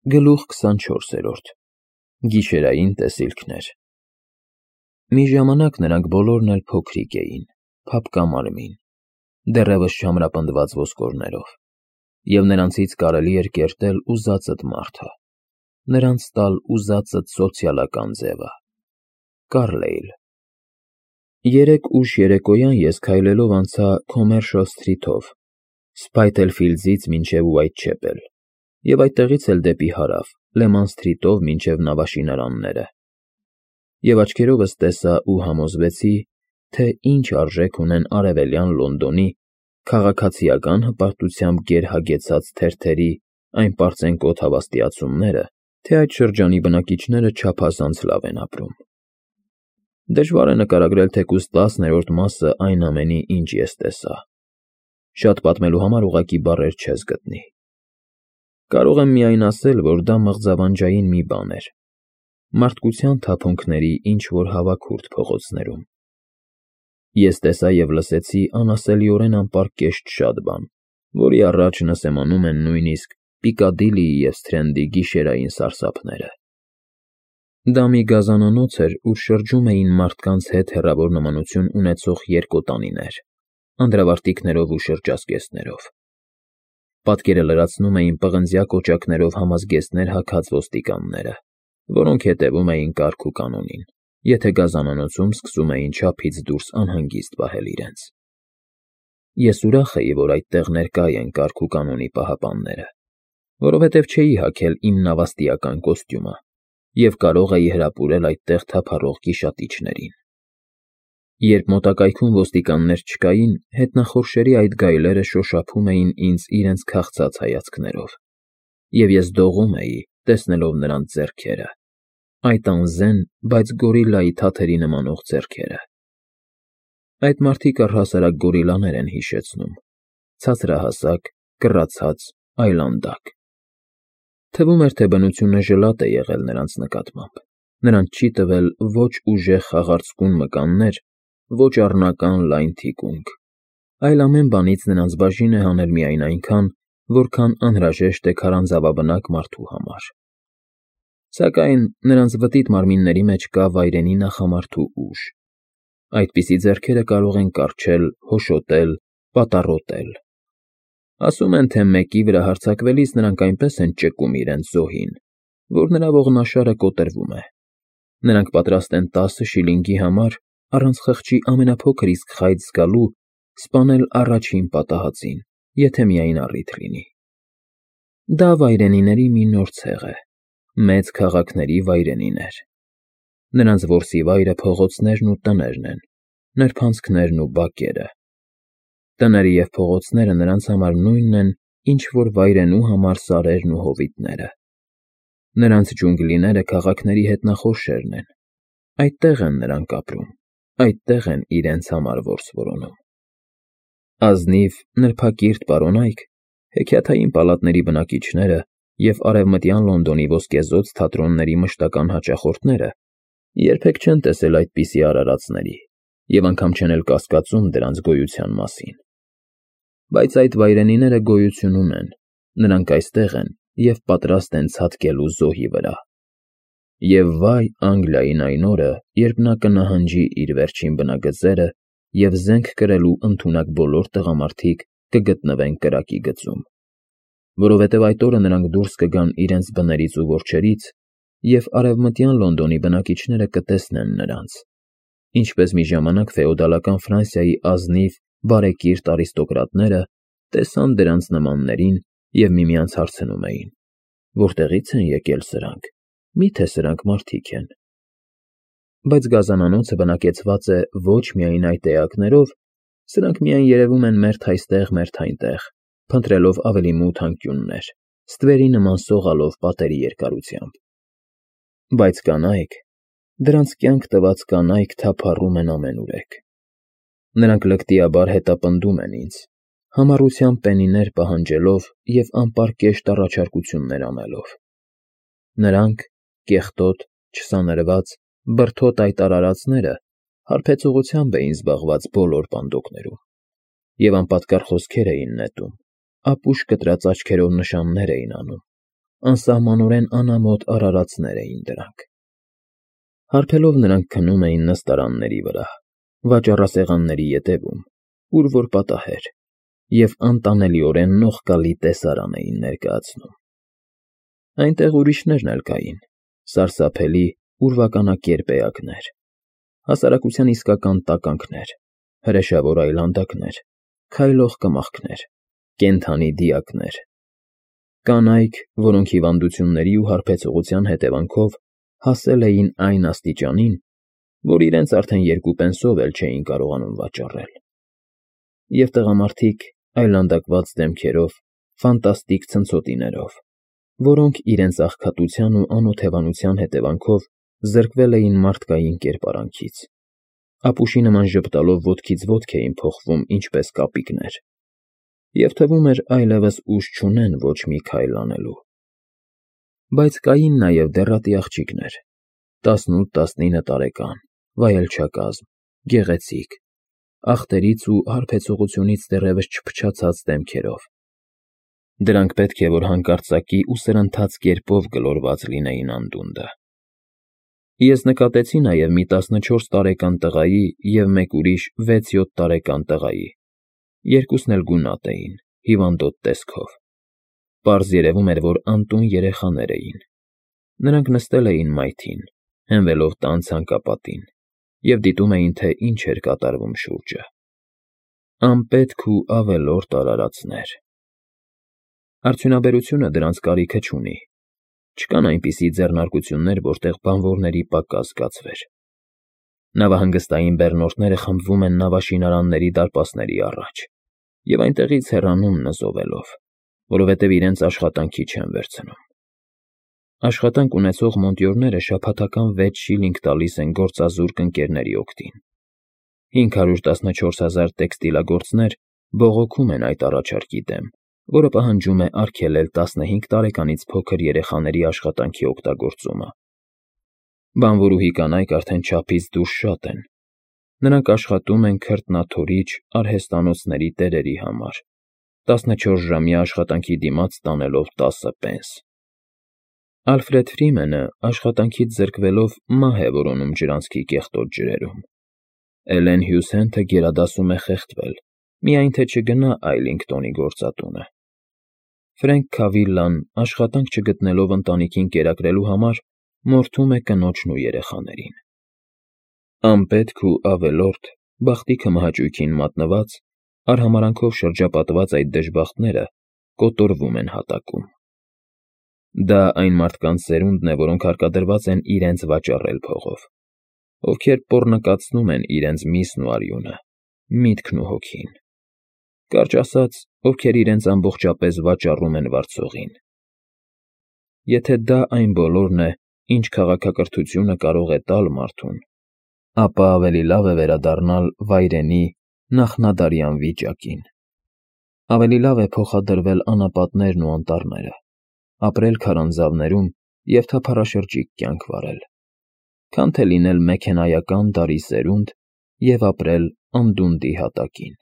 Գլուխ 24 Գիշերային տեսիլքներ Մի ժամանակ նրանք բոլորն էլ փոքրիկ էին, փափկամարմին, դեռևս չամրապնդված ոսկորներով, և նրանցից կարելի էր կերտել ուզածդ մարդը, նրանց տալ ուզածդ սոցիալական ձևը, Կարլեյլ։ Երեկ ուշ երեկոյան ես քայլելով անցա Commercial Street-ով, Spitalfields-ից մինչև Whitechapel, և այդտեղից էլ դեպի հարավ, Leman Street-ով մինչև նավաշինարանները, և աչքերովս տեսա ու համոզվեցի, թե ինչ արժեք ունեն արևելյան Լոնդոնի քաղաքացիական հպարտությամբ գերհագեցած թերթերի այն պարծենկոտ հավաստիացումները, թե այդ շրջանի բնակիչները չափազանց լավ են ապրում։ Դժվար է նկարագրել թեկուզ 10-րդ մասը այն ամենի, ինչ ես տեսա։ Շատ պատմելու համար ուղղակի բառեր չես գտնի։ Կարող եմ միայն ասել, որ դա մղձավանջային մի բան էր, մարդկության թափոնքների ինչ-որ հավաքուրդ փողոցներում։ Ես տեսա և լսեցի անասելիորեն անպարկեշտ շատ բան, որի առաջ նսեմանում են նույնիսկ Պիկադիլիի և Սթրենդի գիշերային սարսափները։ Դա մի գազանանոց էր, ուր շրջում էին մարդկանց հետ հեռավոր նմանություն ունեցող երկոտանիներ, անդրավարտիքներով ու շրջազգեստներով։ Պատկերը լրացնում էին պղնձյա կոճակներով համազգեստներ հագած ոստիկանները, որոնք հետևում էին կարգ ու կանոնին, եթե գազանանոցում սկսում էին չափից դուրս անհանգիստ պահել իրենց։ Ես ուրախ էի, որ այդտեղ ներկա են կարգ ու կանոնի պահապանները, որովհետև չէի հագել իմ նավաստիական կոստյումը և կարող էի հրապուրել այդտեղ թափառող գիշատիչներին։ Երբ մոտակայքում ոստիկաններ չկային, հետնախորշերի այդ գայլերը շոշափում էին ինձ իրենց քաղցած հայացքներով, և ես դողում էի, տեսնելով նրանց ձեռքերը, այդ անզեն, բայց գորիլայի թաթերի նմանող ձեռքերը։ Այդ մարդիկ առհասարակ գորիլաներ են հիշեցնում, ցածրահասակ, կռացած, այլանդակ։ Թվում էր, թե բնությունը ժլատ է եղել նրանց նկատմամբ, նրանց չի տվել ոչ ուժեղ խաղացկուն մկաններ, ոչ առնական լայն թիկունք, այլ ամեն բանից նրանց բաժին է հանել միայն այնքան, որքան անհրաժեշտ է քարանձավաբնակ մարդու համար։ Սակայն նրանց վտիտ մարմինների մեջ կա վայրենի նախամարդու ուժ։ Այդպիսի ձեռքերը կարող են կառչել, հոշոտել, պատառոտել։ Ասում են, թե մեկի վրա հարձակվելիս նրանք այնպես են ճկում իրենց զոհին, որ նրա ողնաշարը կոտրվում է։ Նրանք պատրաստ են 10 շիլինգի համար, առանց խղճի ամենափոքր իսկ խայծ զգալու, սպանել առաջին պատահածին, եթե միայն առիթ լինի։ Դա վայրենիների մի նոր ցեղ է, մեծ քաղաքների վայրենիներ։ Նրանց որսի վայրը փողոցներն ու տներն են, նրբանցքներն ու բակերը։ Տները և փողոցները նրանց համար նույնն են, ինչ որ վայրենու համար սարերն ու հովիտները։ Նրանց ջունգլիները քաղաքների հետնախորշերն են, այդտեղ են նրանք ապրում, այդտեղ են իրենց համար որս որոնում։ Ազնիվ, նրբակիրթ պարոնայք, հեքիաթային պալատների բնակիչները և արևմտյան Լոնդոնի ոսկեզօծ թատրոնների մշտական հաճախորդները երբեք չեն տեսել այդպիսի արարածների և անգամ չեն էլ կասկածում դրանց գոյության մասին։ Բայց այդ վայրենիները գոյություն ունեն, նրանք այստեղ են և պատրաստ են ցատկելու զոհի վրա։ Եվ վայ Անգլիային այն օրը, երբ նա կնահանջի իր վերջին բնագծերը և զենք կրելու ընդունակ բոլոր տղամարդիկ կգտնվեն կրակի գծում, որովհետև այդ օրը նրանք դուրս կգան իրենց բներից ու որջերից, և արևմտյան Լոնդոնի բնակիչները կտեսնեն նրանց, ինչպես մի ժամանակ ֆեոդալական Ֆրանսիայի ազնիվ, բարեկիրթ արիստոկրատները տեսան դրանց նմաններին և միմյանց հարցնում էին. որտեղի՞ց են եկել սրանք, մի՞թե սրանք մարդիկ են։ Բայց գազանանոցը բնակեցված է ոչ միայն այդ էակներով, սրանք միայն երևում են մերթ այստեղ, մերթ այնտեղ, փնտրելով ավելի մութ անկյուններ, ստվերի նման սողալով պատերի երկարությամբ։ Բայց կանայք, դրանց կյանք տված կանայք թափառում են ամենուրեք։ Նրանք լկտիաբար հետապնդում են ինձ, համառությամբ պենիներ պահանջելով և անպարկեշտ առաջարկություններ անելով։ Նրանք, կեղտոտ, չսանրված, բրդոտ այդ արարածները հարբեցողությամբ էին զբաղված բոլոր պանդոկներում և անպատկառ խոսքեր էին նետում, ապուշ կտրած աչքերով նշաններ էին անում, անսահմանորեն անամոթ արարածներ էին դրանք։ Հարբելով նրանք քնում էին նստարանների վրա, վաճառասեղանների ետևում, ուր որ պատահեր, և անտանելիորեն նողկալի տեսարան էին ներկայացնում։ Այնտեղ ուրիշներն էլ կային, սարսափելի, ուրվականակերպ էակներ, հասարակության իսկական տականքներ, հրեշավոր այլանդակներ, քայլող կմախքներ, կենդանի դիակներ, կանայք, որոնք հիվանդությունների ու հարբեցողության հետևանքով հասել էին այն աստիճանին, որ իրենց արդեն 2 պենսով էլ չէին կարողանում վաճառել, և տղամարդիկ այլանդակված դեմքերով, ֆանտաստիկ ցնցոտիներով, որոնք իրենց աղքատության ու անօթևանության հետևանքով զրկվել էին մարդկային կերպարանքից, ապուշի նման ժպտալով ոտքից ոտք էին փոխվում ինչպես կապիկներ, և թվում էր այլևս ուժ չունեն ոչ մի քայլ անելու։ Բայց կային նաև դեռատի աղջիկներ, 18-19 տարեկան, վայելչակազմ, գեղեցիկ, ախտերից ու հարբեցողությունից դեռևս չփչացած դեմքերով։ Դրանք պետք է որ հանկարծակի ու սրընթաց կերպով գլորված լինեին անդունդը։ Ես նկատեցի նաև մի 14 տարեկան տղայի և մեկ ուրիշ 6-7 տարեկան տղայի, երկուսն էլ գունատ էին, հիվանդոտ տեսքով։ Պարզ երևում էր, որ անտուն երեխաներ էին։ Նրանք նստել էին մայթին, հենվելով տան ցանկապատին, և դիտում էին, թե ինչ էր կատարվում շուրջը։ Անպետք ու ավելորդ արարածներ։ Արդյունաբերությունը դրանց կարիքը չունի։ Չկան այնպիսի ձեռնարկություններ, որտեղ բանվորների պակաս զգացվեր։ Նավահանգստային բեռնորդները խմբվում են նավաշինարանների դարպասների առաջ և այնտեղից հեռանում նզովելով, որովհետև իրենց աշխատանքի չեն վերցնում։ Աշխատանք ունեցող մոնտյորները շաբաթական 6 շիլինգ տալիս են գործազուրկ ընկերների օգտին։ 514 000 տեքստիլագործներ բողոքում են այդ առաջարկի դեմ, որը պահանջում է արգելել 15 տարեկանից փոքր երեխաների աշխատանքի օգտագործումը։ Բանվորուհի կանայք արդեն չափից դուրս շատ են։ Նրանք աշխատում են քրտնաթորիչ արհեստանոցների տերերի համար, 14-ժամյա աշխատանքի դիմաց տանելով 10 պենս։ Ալֆրեդ Ֆրիմենը աշխատանքից զրկվելով մահ է որոնում ջրանցքի կեղտոտ ջրերում։ Էլեն Հյուզենթը գերադասում է խեղդվել, միայն թե չգնա Այլինգտոնի գործատունը։ Ֆրենկ Քավիլլան, աշխատանք չգտնելով ընտանիքին կերակրելու համար, մորթում է կնոջն ու երեխաներին։ Անպետք ու ավելորդ, բախտի քմահաճույքին մատնված, արհամարանքով շրջապատված այդ դժբախտները կոտորվում են հատակում։ Դա այն մարդկանց սերունդն է, որոնք հարկադրված են իրենց վաճառել փողով, ովքեր պոռնկացնում են իրենց միսն ու արյունը, միտքն ու հոգին, կարճ ասած, ովքեր իրենց ամբողջապես վաճառում են վարձողին։ Եթե դա այն բոլորն է, ինչ քաղաքակրթությունը կարող է տալ մարդուն, ապա ավելի լավ է վերադառնալ վայրենի նախնադարյան վիճակին։ Ավելի լավ է փոխադրվել անապատներն ու անտառները, ապրել քարանձավներում և թափառաշրջիկ կյանք վարել, քան թե լինել մեքենայական դարի սերունդ և ապրել անդունդի հատակին։